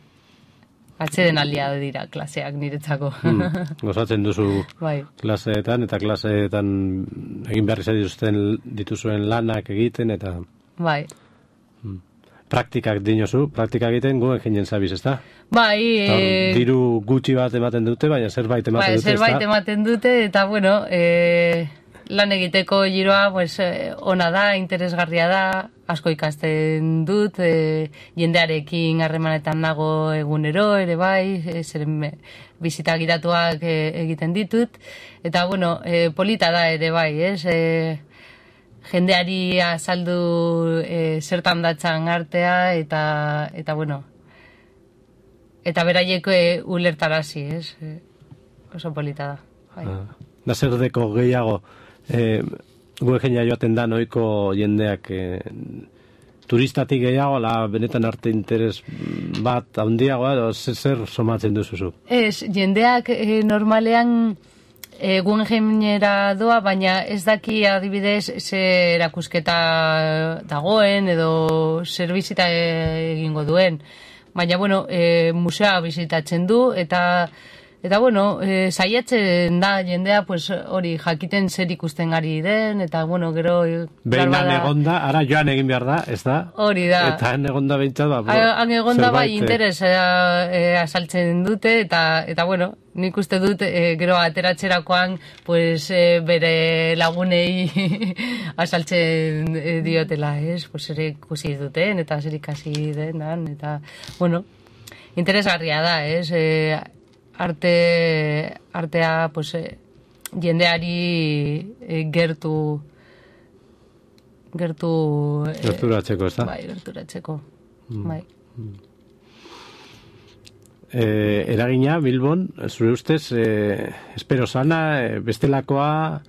Atzeden aldia dira klaseak niretzako. Mm. Gozatzen duzu bai. klaseetan, eta klaseetan egin behar izan dituzten dituzuen lanak egiten, eta... Bai. Mm. Praktikak dinozu, praktika egiten guen jenien zabiz, ez da? Bai, e... diru gutxi bat ematen dute, baina zerbait ematen bai, dute, ez da? Zerbait ematen dute, eta bueno, e... lan egiteko giroa, pues, ona da, interesgarria da, asko ikasten dut, e... jendearekin harremanetan nago egunero, ere bai, e, zeren bizita giratuak e, egiten ditut, eta bueno, e, polita da ere bai, ez? E... jendeari azaldu e, zertan datzan artea, eta, eta bueno, eta beraieko e, ulertarazi, ez? E, oso polita da. Bai. Ah, da zer deko gehiago, e, guen jendea joaten da noiko jendeak e, turistatik gehiago, la benetan arte interes bat handiagoa, edo zer, zer somatzen duzuzu? Ez, jendeak e, normalean E, Guggenheimera doa, baina ez daki adibidez ze erakusketa dagoen edo zer bizita egingo duen. Baina, bueno, e, musea bizitatzen du, eta, eta bueno, e, saiatzen da jendea, pues, hori jakiten zer ikusten ari den, eta, bueno, gero... Behin han egonda, ara joan egin behar da, ez da? Hori da. Eta han egonda behintzat, ba, han egonda bai zerbait, interes e, azaltzen dute, eta, eta bueno, nik uste dut e, gero ateratzerakoan pues, e, bere lagunei azaltzen e, diotela, ez? Pues ere ikusi duten eta zer ikasi denan, eta, bueno, interesgarria da, ez? E, arte, artea, pues, e, jendeari e, gertu gertu... E, gerturatzeko, ez da? Bai, gerturatzeko, mm. bai. Mm. Eh, eragina, Bilbon, zure ustez, eh, espero sana, eh, bestelakoa,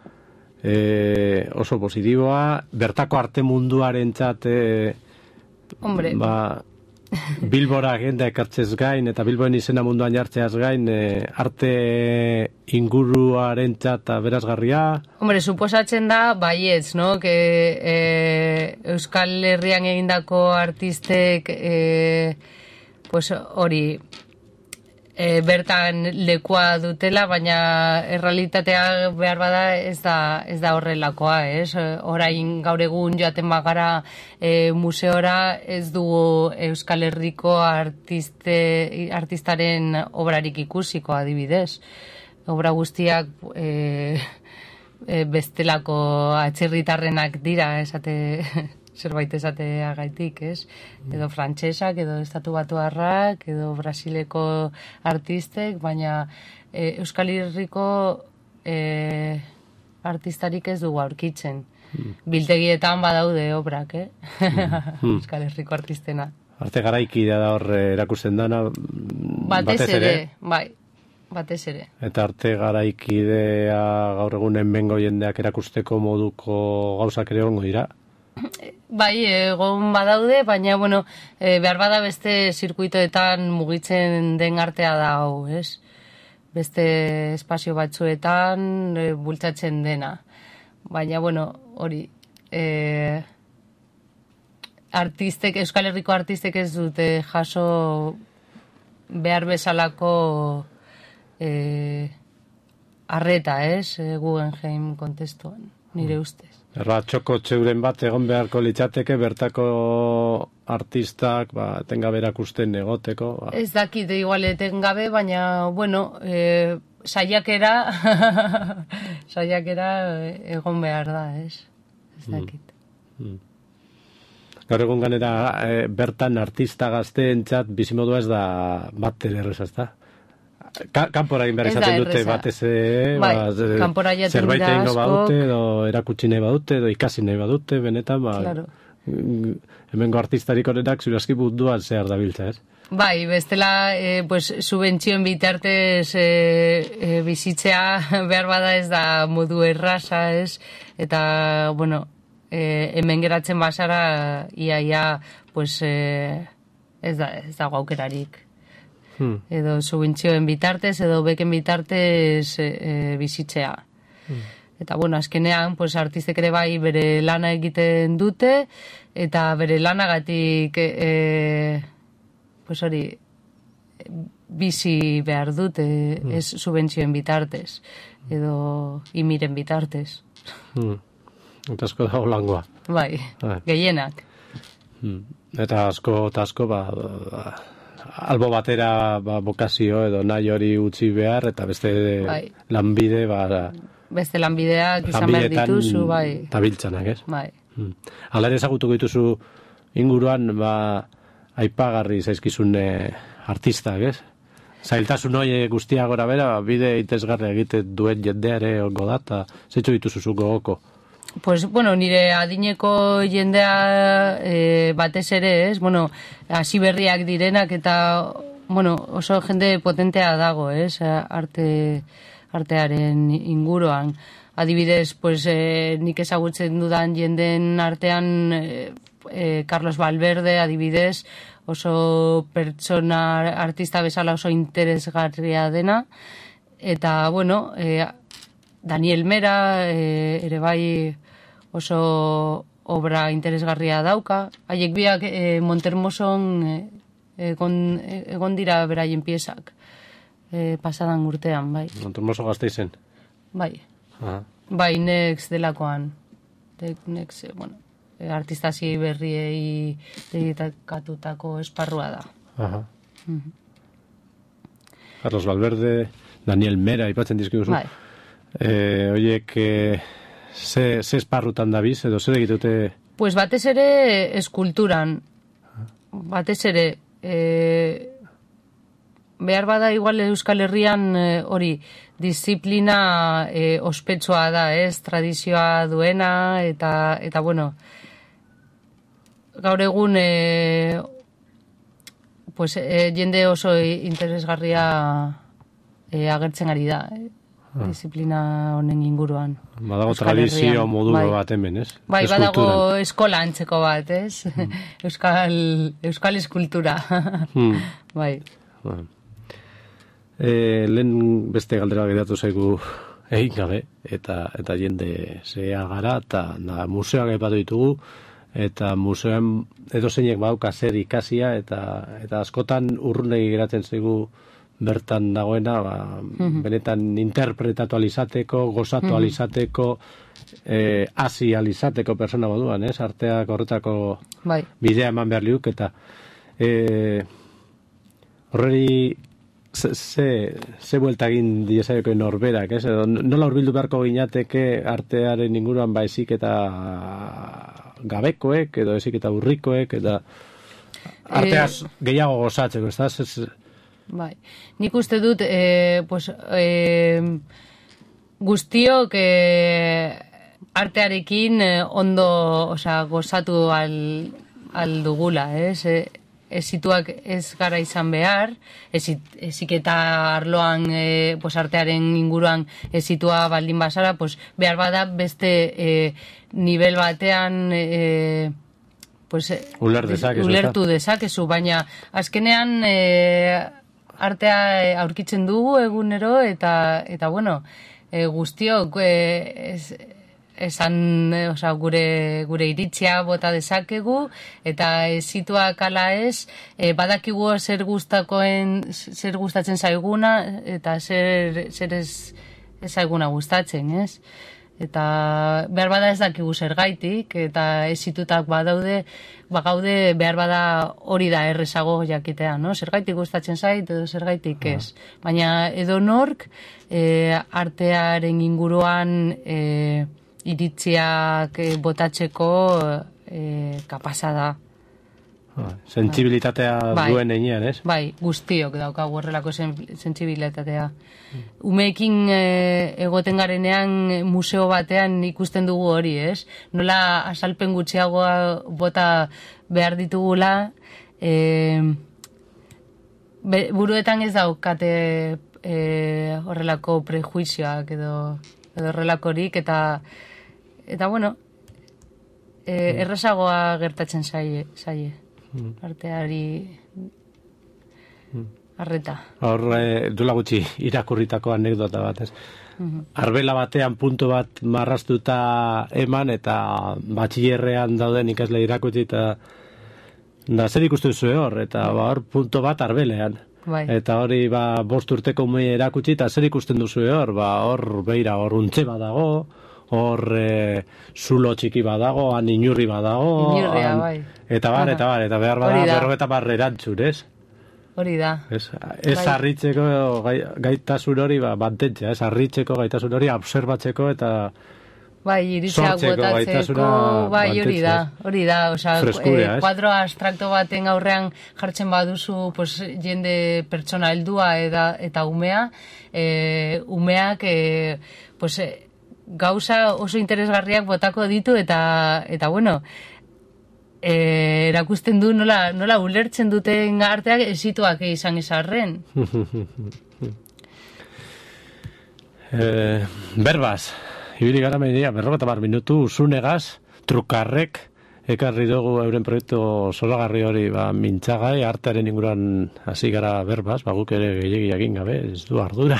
eh, oso positiboa, bertako arte munduaren txat, eh, Hombre. Ba, Bilbora agenda ekartzez gain, eta Bilboen izena munduan jartzeaz gain, eh, arte inguruaren txat berazgarria. Hombre, suposatzen da, baietz, no? Que, eh, Euskal Herrian egindako artistek, eh, pues hori, e, bertan lekua dutela, baina errealitatea behar bada ez da, ez da horrelakoa, ez? Orain gaur egun joaten bagara e, museora ez dugu Euskal Herriko artiste, artistaren obrarik ikusiko adibidez. Obra guztiak e, e, bestelako atzerritarrenak dira, esate... zerbait esateagaitik, ez? Edo frantsesak, edo estatu batuarrak, edo Brasileko artistek, baina e, Euskal Herriko e, artistarik ez dugu aurkitzen. Mm. Biltegietan badaude obrak, eh? Mm. Euskal Herriko artistena. Arte garaikidea da hor erakusten dana, batez, batez ere, ere, bai. Batez ere. Eta arte garaikidea gaur egunen bengo jendeak erakusteko moduko gauzak ere ongo dira? Bai, egon badaude, baina, bueno, e, behar bada beste zirkuitoetan mugitzen den artea da hau, ez? Beste espazio batzuetan e, bultzatzen dena. Baina, bueno, hori, e, artistek, Euskal Herriko artistek ez dute jaso behar bezalako e, arreta, ez? E, Guggenheim kontestuan, nire ustez. Erra, txoko txeuren bat egon beharko litzateke bertako artistak ba, etengabe erakusten egoteko. Ba. Ez dakit, igual etengabe, baina, bueno, e, saiakera, saiakera egon behar da, ez? Ez dakit. Mm. Mm. Gaur egun ganera e, bertan artista gazteentzat bizimodua ez da bat erreza, ez da? Ka, kanpora egin behar izaten dute batez bai, ba, zerbait egingo badute edo erakutsi nahi badute edo ikasi nahi badute benetan ba, claro. Hemengo artistarik honenak zuraski munduan zehar dabiltza, ez? Bai, bestela e, pues, subentzioen bitartez e, e, bizitzea behar bada ez da modu erraza, ez? Eta, bueno, e, hemen geratzen basara ia, ia, pues, e, ez da, ez da aukerarik. Hmm. Edo subentzioen bitartez, edo beken bitartez e, e, bizitzea. Hmm. Eta, bueno, azkenean, pues, artistek ere bai bere lana egiten dute, eta bere lanagatik, e, pues hori, bizi behar dute, hmm. ez subentzioen bitartez, edo imiren bitartez. Hmm. Eta asko dago langoa. Bai, ah. Gehienak. Hmm. Eta asko, eta asko, ba... ba... albo batera ba, bokazio edo nahi hori utzi behar, eta beste bai. lanbide, ba... Beste lanbideak izan behar dituzu, bai. Tabiltzanak, ez? Bai. Hmm. Hala ere ezagutuko dituzu inguruan, ba, aipagarri zaizkizun artistak, ez? Zailtasun hori guztia gora bera, bide itezgarri egiten duen jendeare ongo da, eta zeitzu dituzu zu gogoko? Pues, bueno, nire adineko jendea e, batez ere, ez? Bueno, hasi berriak direnak eta, bueno, oso jende potentea dago, ez? Arte, artearen inguruan. Adibidez, pues, e, nik ezagutzen dudan jenden artean e, e, Carlos Valverde, adibidez, oso pertsona artista bezala oso interesgarria dena. Eta, bueno, e, Daniel Mera, e, ere bai oso obra interesgarria dauka. Haiek biak e, Montermoson e, egon, egon dira beraien piezak. E, pasadan urtean, bai. Montermoso Gasteizen? Bai. Aha. Bai, Next delakoan. Next, bueno, artistasi berriei dedikatutako esparrua da. Aha. Mm-hmm. Carlos Valverde, Daniel Mera, ipatzen dizkiguzu. Bai. Eh, oiek, eh, ze, ze esparrutan dabiz, edo zer egitute? Pues batez ere eskulturan, batez ere, eh, behar bada igual Euskal Herrian hori, eh, disiplina eh, ospetsua da, ez, tradizioa duena, eta, eta bueno, gaur egun, eh, pues, eh, jende oso interesgarria eh, agertzen ari da, eh. Disiplina honen inguruan. Badago tradizio modu bai. Bat hemen, ez? Bai, badago eskola antzeko bat, ez? Mm. Euskal, Euskal eskultura. Mm. Bai. Bueno. E, lehen beste galdera geratu zaigu egin gabe, eta, eta jende zea gara, eta na, museoak aipatu ditugu, eta museoan edo zeinek badauka zer ikasia, eta, eta askotan urrunegi geratzen zaigu bertan dagoena, ba, Mhm. benetan interpretatu alizateko, gozatu Mhm. alizateko, eh, hasi alizateko persona moduan, ez? Arteak horretako Bai. bidea eman behar liuk, eta eh, horreri ze, ze, ze buelta egin diezaioko norberak, ez? Edo, nola hurbildu beharko ginateke artearen inguruan ba ezik eta gabekoek, edo ezik eta urrikoek, eta arteaz gehiago gozatzeko, ez da? Ez, Bai, nik uste dut, e, pues, e, guztiok e, artearekin e, ondo, osea, gozatu al, al dugula, ez? E, ezituak ez gara izan behar, ezit, ezik eta arloan, e, pues, artearen inguruan ezitua baldin bazara, pues, behar bada beste e, nivel batean e, pues, Uler dezakezu, ulertu dezakezu, baina azkenean e, artea aurkitzen dugu egunero eta eta bueno, e, guztiok e, ez, esan, e, osea, gure gure iritzia bota dezakegu eta ezituak ala ez, e, badakigu zer gustakoen zer gustatzen zaiguna eta zer zer ez ez zaiguna gustatzen, ez? Eta behar bada ez dakigu zergaitik, eta ezitutak badaude, bagaude behar bada hori da errezago jakitea, no? Zergaitik gustatzen zait, edo zergaitik ez. Baina edo nork e, artearen inguruan e, iritziak e, botatzeko e, kapasa da. sentsibilitatea Bai. duen einean, ez? Bai, guztiok daukagu horrelako sen, sentsibilitatea. Umeekin e, egoten garenean museo batean ikusten dugu hori, ez? Nola azalpen gutxiagoa bota behar ditugula, e, be, buruetan ez daukate e, horrelako prejuizioak edo, edo horrelakorik, eta eta bueno, e, errazagoa gertatzen zaie, zaie. Arteari arreta. Hor, e, duela gutxi irakurritako anekdota bat, ez? Arbela batean puntu bat marrastuta eman, eta batxillerrean dauden ikasle irakutsi, eta da zer ikustu zuen hor, eta ba, hor puntu bat arbelean. Bai. Eta hori ba, bost urteko ume erakutsi, eta zer ikusten duzu hor, ba, hor beira, hor untxe badago, hor e, zulo txiki badago, han inurri badago, Inurria, han, bai. eta bar, eta bar, eta behar bada Hori da. berrogeta bar erantzun, ez? Hori da. Ez, ez Bai. harritzeko gai, gaitasun hori ba, mantentzea, ez harritzeko gaitasun hori observatzeko eta Bai, iritziak sortzeko botatzeko, gaitasuna bai, hori da, mantentzea, hori da, osea, Freskurea, ez? kuadro abstrakto baten aurrean jartzen baduzu, pues, jende pertsona heldua eta, eta umea, e, umeak, e, pues, e, gauza oso interesgarriak botako ditu, eta, eta bueno, e, erakusten du nola, nola ulertzen duten arteak ezituak izan izarren. eh, berbaz, ibili gara media, berrogeta bar minutu, usunegaz, trukarrek, ekarri dugu euren proiektu zoragarri hori ba, mintzagai, artearen inguruan hasi gara berbaz, ba, guk ere gehiegi egin gabe, ez du ardura,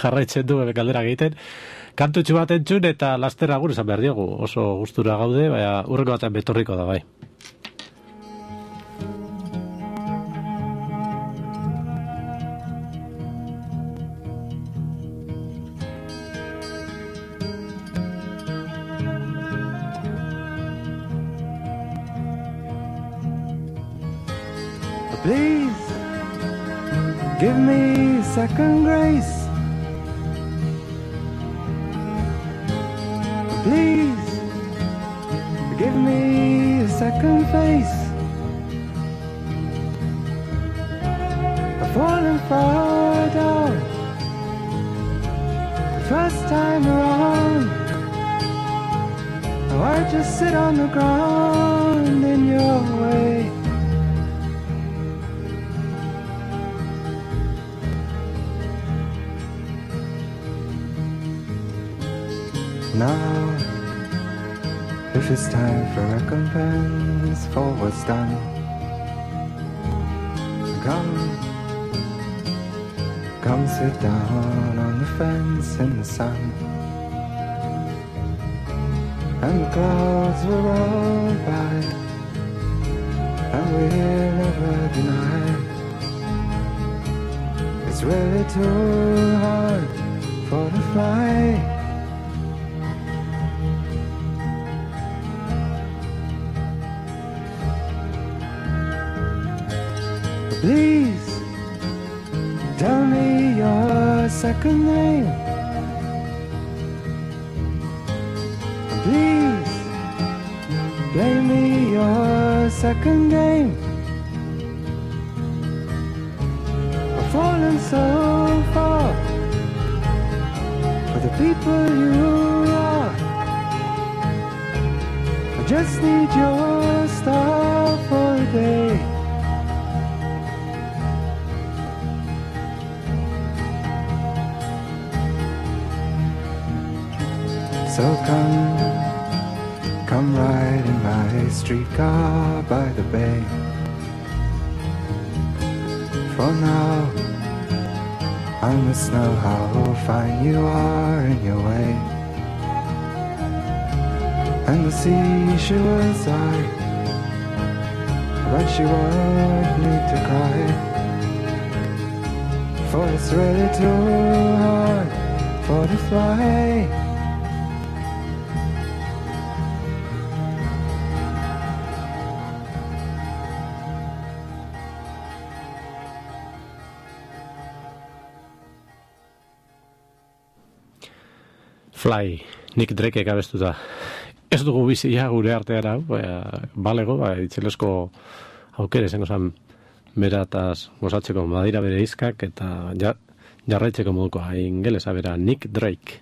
jarraitzen du galdera egiten, kantutxu bat entzun eta laster agur esan behar diogu, oso gustura gaude, baina urreko batean betorriko da bai. Please give me second grace. Please give me a second face. I've fallen far down the first time around. Now I just sit on the ground in your way. Now, if it's time for recompense for what's done, come, come sit down on the fence in the sun, and the clouds will roll by, and we'll never deny it's really too hard for to fly. Please tell me your second name. Please play me your second game. I've fallen so far for the people you are. I just need your star for a day. So come, come ride in my streetcar by the bay. For now, I must know how fine you are in your way. And the sea, she was sorry, but she won't need to cry. For it's really too hard for to fly. Fly, Nick Drake abestuta. Ez dugu bizia gure arteara, ba, balego, ba, itzelesko aukere zengo zan berataz gozatzeko badira bere izkak eta ja, jarraitzeko moduko ingelesa bera Nick Drake.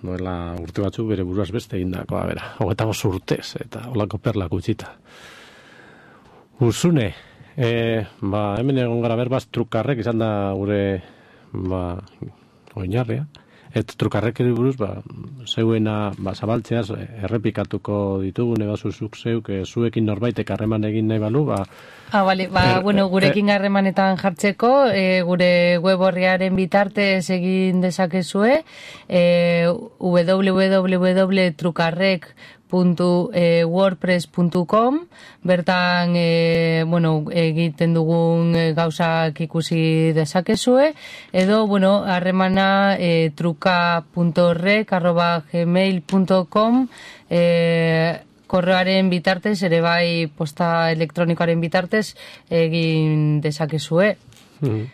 Noela urte batzuk bere buruaz beste egindakoa bera. Hogeta bost urtez eta holako perlak utzita. Ursune, e, ba, hemen egon gara berbaz trukarrek izan da gure ba, oinarria. Et trukarrek buruz, ba, zeuena ba, zabaltzeaz errepikatuko ditugune bazuzuk zeuk, e, zuekin norbaitek harreman egin nahi balu, ba... Ah, bale, ba, er, bueno, gurekin harremanetan jartzeko, e, gure web horriaren bitartez egin dezakezue, e, w w w puntu trukarrek puntu wordpress puntu com, bertan e, bueno, egiten dugun gauzak ikusi dezakezue, edo bueno, harremana e, truka puntu rek arroba gmail puntu com e, korreoaren bitartez, ere bai posta elektronikoaren bitartez egin dezakezue. Mm-hmm.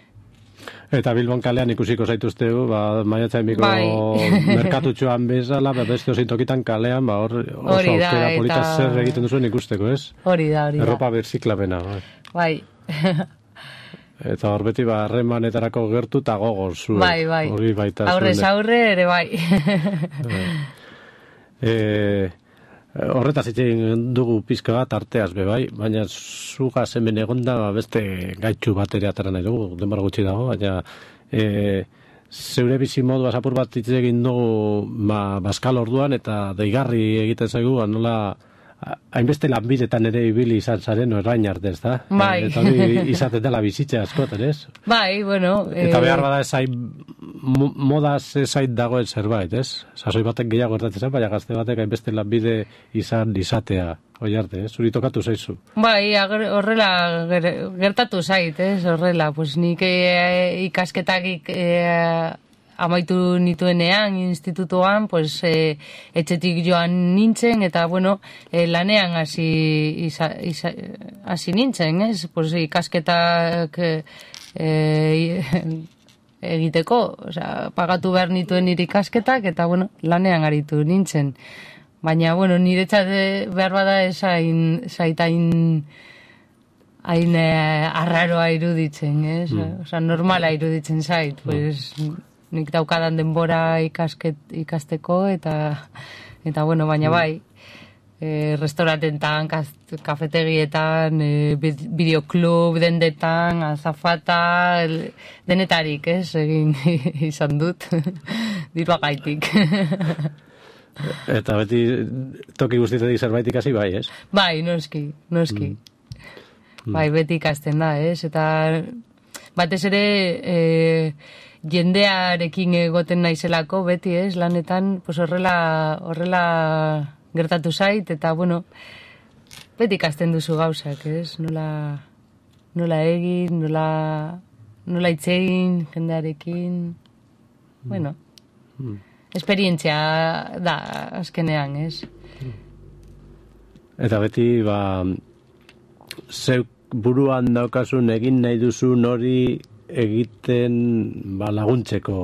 Eta Bilbon kalean ikusiko zaituztegu, ba, maiatzaimiko bai. merkatutxoan bezala, ba, beste osintokitan kalean, ba, hor oso aukera polita eta... zer egiten duzuen ikusteko, ez? Hori da, hori da. Erropa berziklapena, bai. Bai. Eta hor beti, ba, harremanetarako gertu eta gogoz. Bai, bai. Hori baita. Aurrez aurre, ere bai. eh... Horretaz itxegin dugu pizka bat arteaz be bai, baina zugaz hemen egonda beste gaitxu bat ere atara nahi dugu, denbora gutxi dago, baina e, zeure bizi modu apur bat itxegin dugu ma, Baskal orduan eta deigarri egiten zaigu, nola hainbeste lanbidetan ere ibili izan zaren orain arte, ez da? Bai. Eta hori izaten dela bizitza askoten, ez? Bai, bueno... Eta eh... behar bada ezait, modaz ezait dagoen zerbait, ez? Sasoi batek gehiago gertatzen zen, baina gazte batek hainbeste lanbide izan izatea, oi arte, ez? Zuri tokatu zaizu. Bai, horrela gertatu zait, ez? Horrela, pues nik e, ikasketak e, amaitu nituenean institutuan, pues e, etxetik joan nintzen eta bueno, e, lanean hasi isa, isa, hasi nintzen, ez? Pues ikasketak e, e, egiteko, osea, pagatu behar nituen nire ikasketak eta bueno, lanean aritu nintzen. Baina bueno, niretzat behar bada esain zaitain hain eh, arraroa iruditzen, ez? Mm. Osea, normala iruditzen zait, mm. pues nik daukadan denbora ikasket, ikasteko eta eta bueno, baina bai, e, restaurantetan, kafetegietan, e, bideoklub dendetan, azafata, denetarik, ez? Egin izan dut, diruagaitik. Eta beti toki guztietik zerbait ikasi bai, ez? Bai, noski, noski. Mm. Bai, beti ikasten da, ez? Eta batez ere... E, jendearekin egoten naizelako beti, ez, lanetan, pues horrela, horrela gertatu zait, eta, bueno, beti ikasten duzu gauzak, ez, nola, nola egin, nola, nola itzein, jendearekin, bueno, esperientzia da, azkenean, ez? Eta beti, ba, zeuk buruan daukasun egin nahi duzun hori egiten ba, laguntzeko.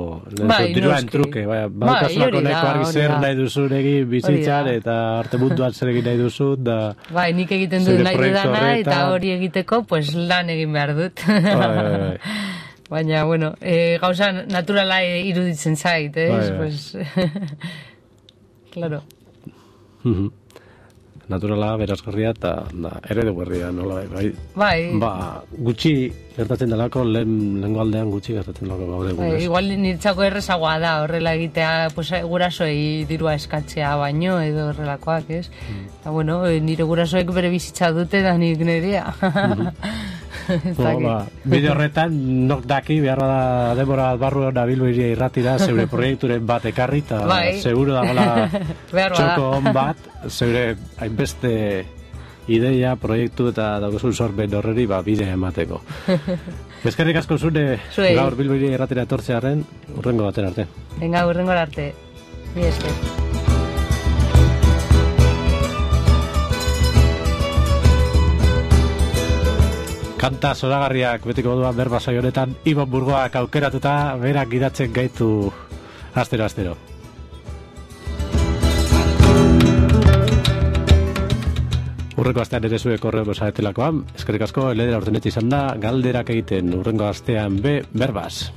Bai, Diruen truke, bai, baukazulako neko argi zer nahi duzun egin bizitzan, eta arte munduan zer egin nahi duzun, da... Bai, nik egiten dut nahi dudana, eta hori egiteko, pues lan egin behar dut. Bai, bai, bai. Baina, bueno, e, gauza naturala iruditzen zait, ez? Bai, bai. Pues... claro. Naturala, berazgarria eta eredu berria, nola bai. Bai. Ba, gutxi gertatzen delako, lehen lengo aldean gutxi gertatzen delako gaur egun. Bai, igual niretzako errezagoa da, horrela egitea, pues, gurasoei dirua eskatzea baino, edo horrelakoak, ez? Mm. Eta, bueno, nire gurasoek bere bizitza dute da nik nirea. Bo, ba, bide horretan, nok daki, behar da denbora barru nabilbo iria irratira, zeure proiekturen bat ekarri, eta bai. Seguro dagoela txoko on bat, zeure hainbeste ideia, proiektu eta daugozun sorben horreri ba, bide emateko. Eskerrik asko zune gaur Bilbo iria irratira etortzearen, urrengo baten arte. Venga, urrengo arte. Mi esker. Kanta zoragarriak betiko moduan berba saio honetan Ibon Burgoak aukeratuta berak gidatzen gaitu astero-astero. Urrengo astean ere zuek horrego zaretelakoan, eskerrik asko, eledera urtenet izan da, galderak egiten urrengo astean be, berbaz.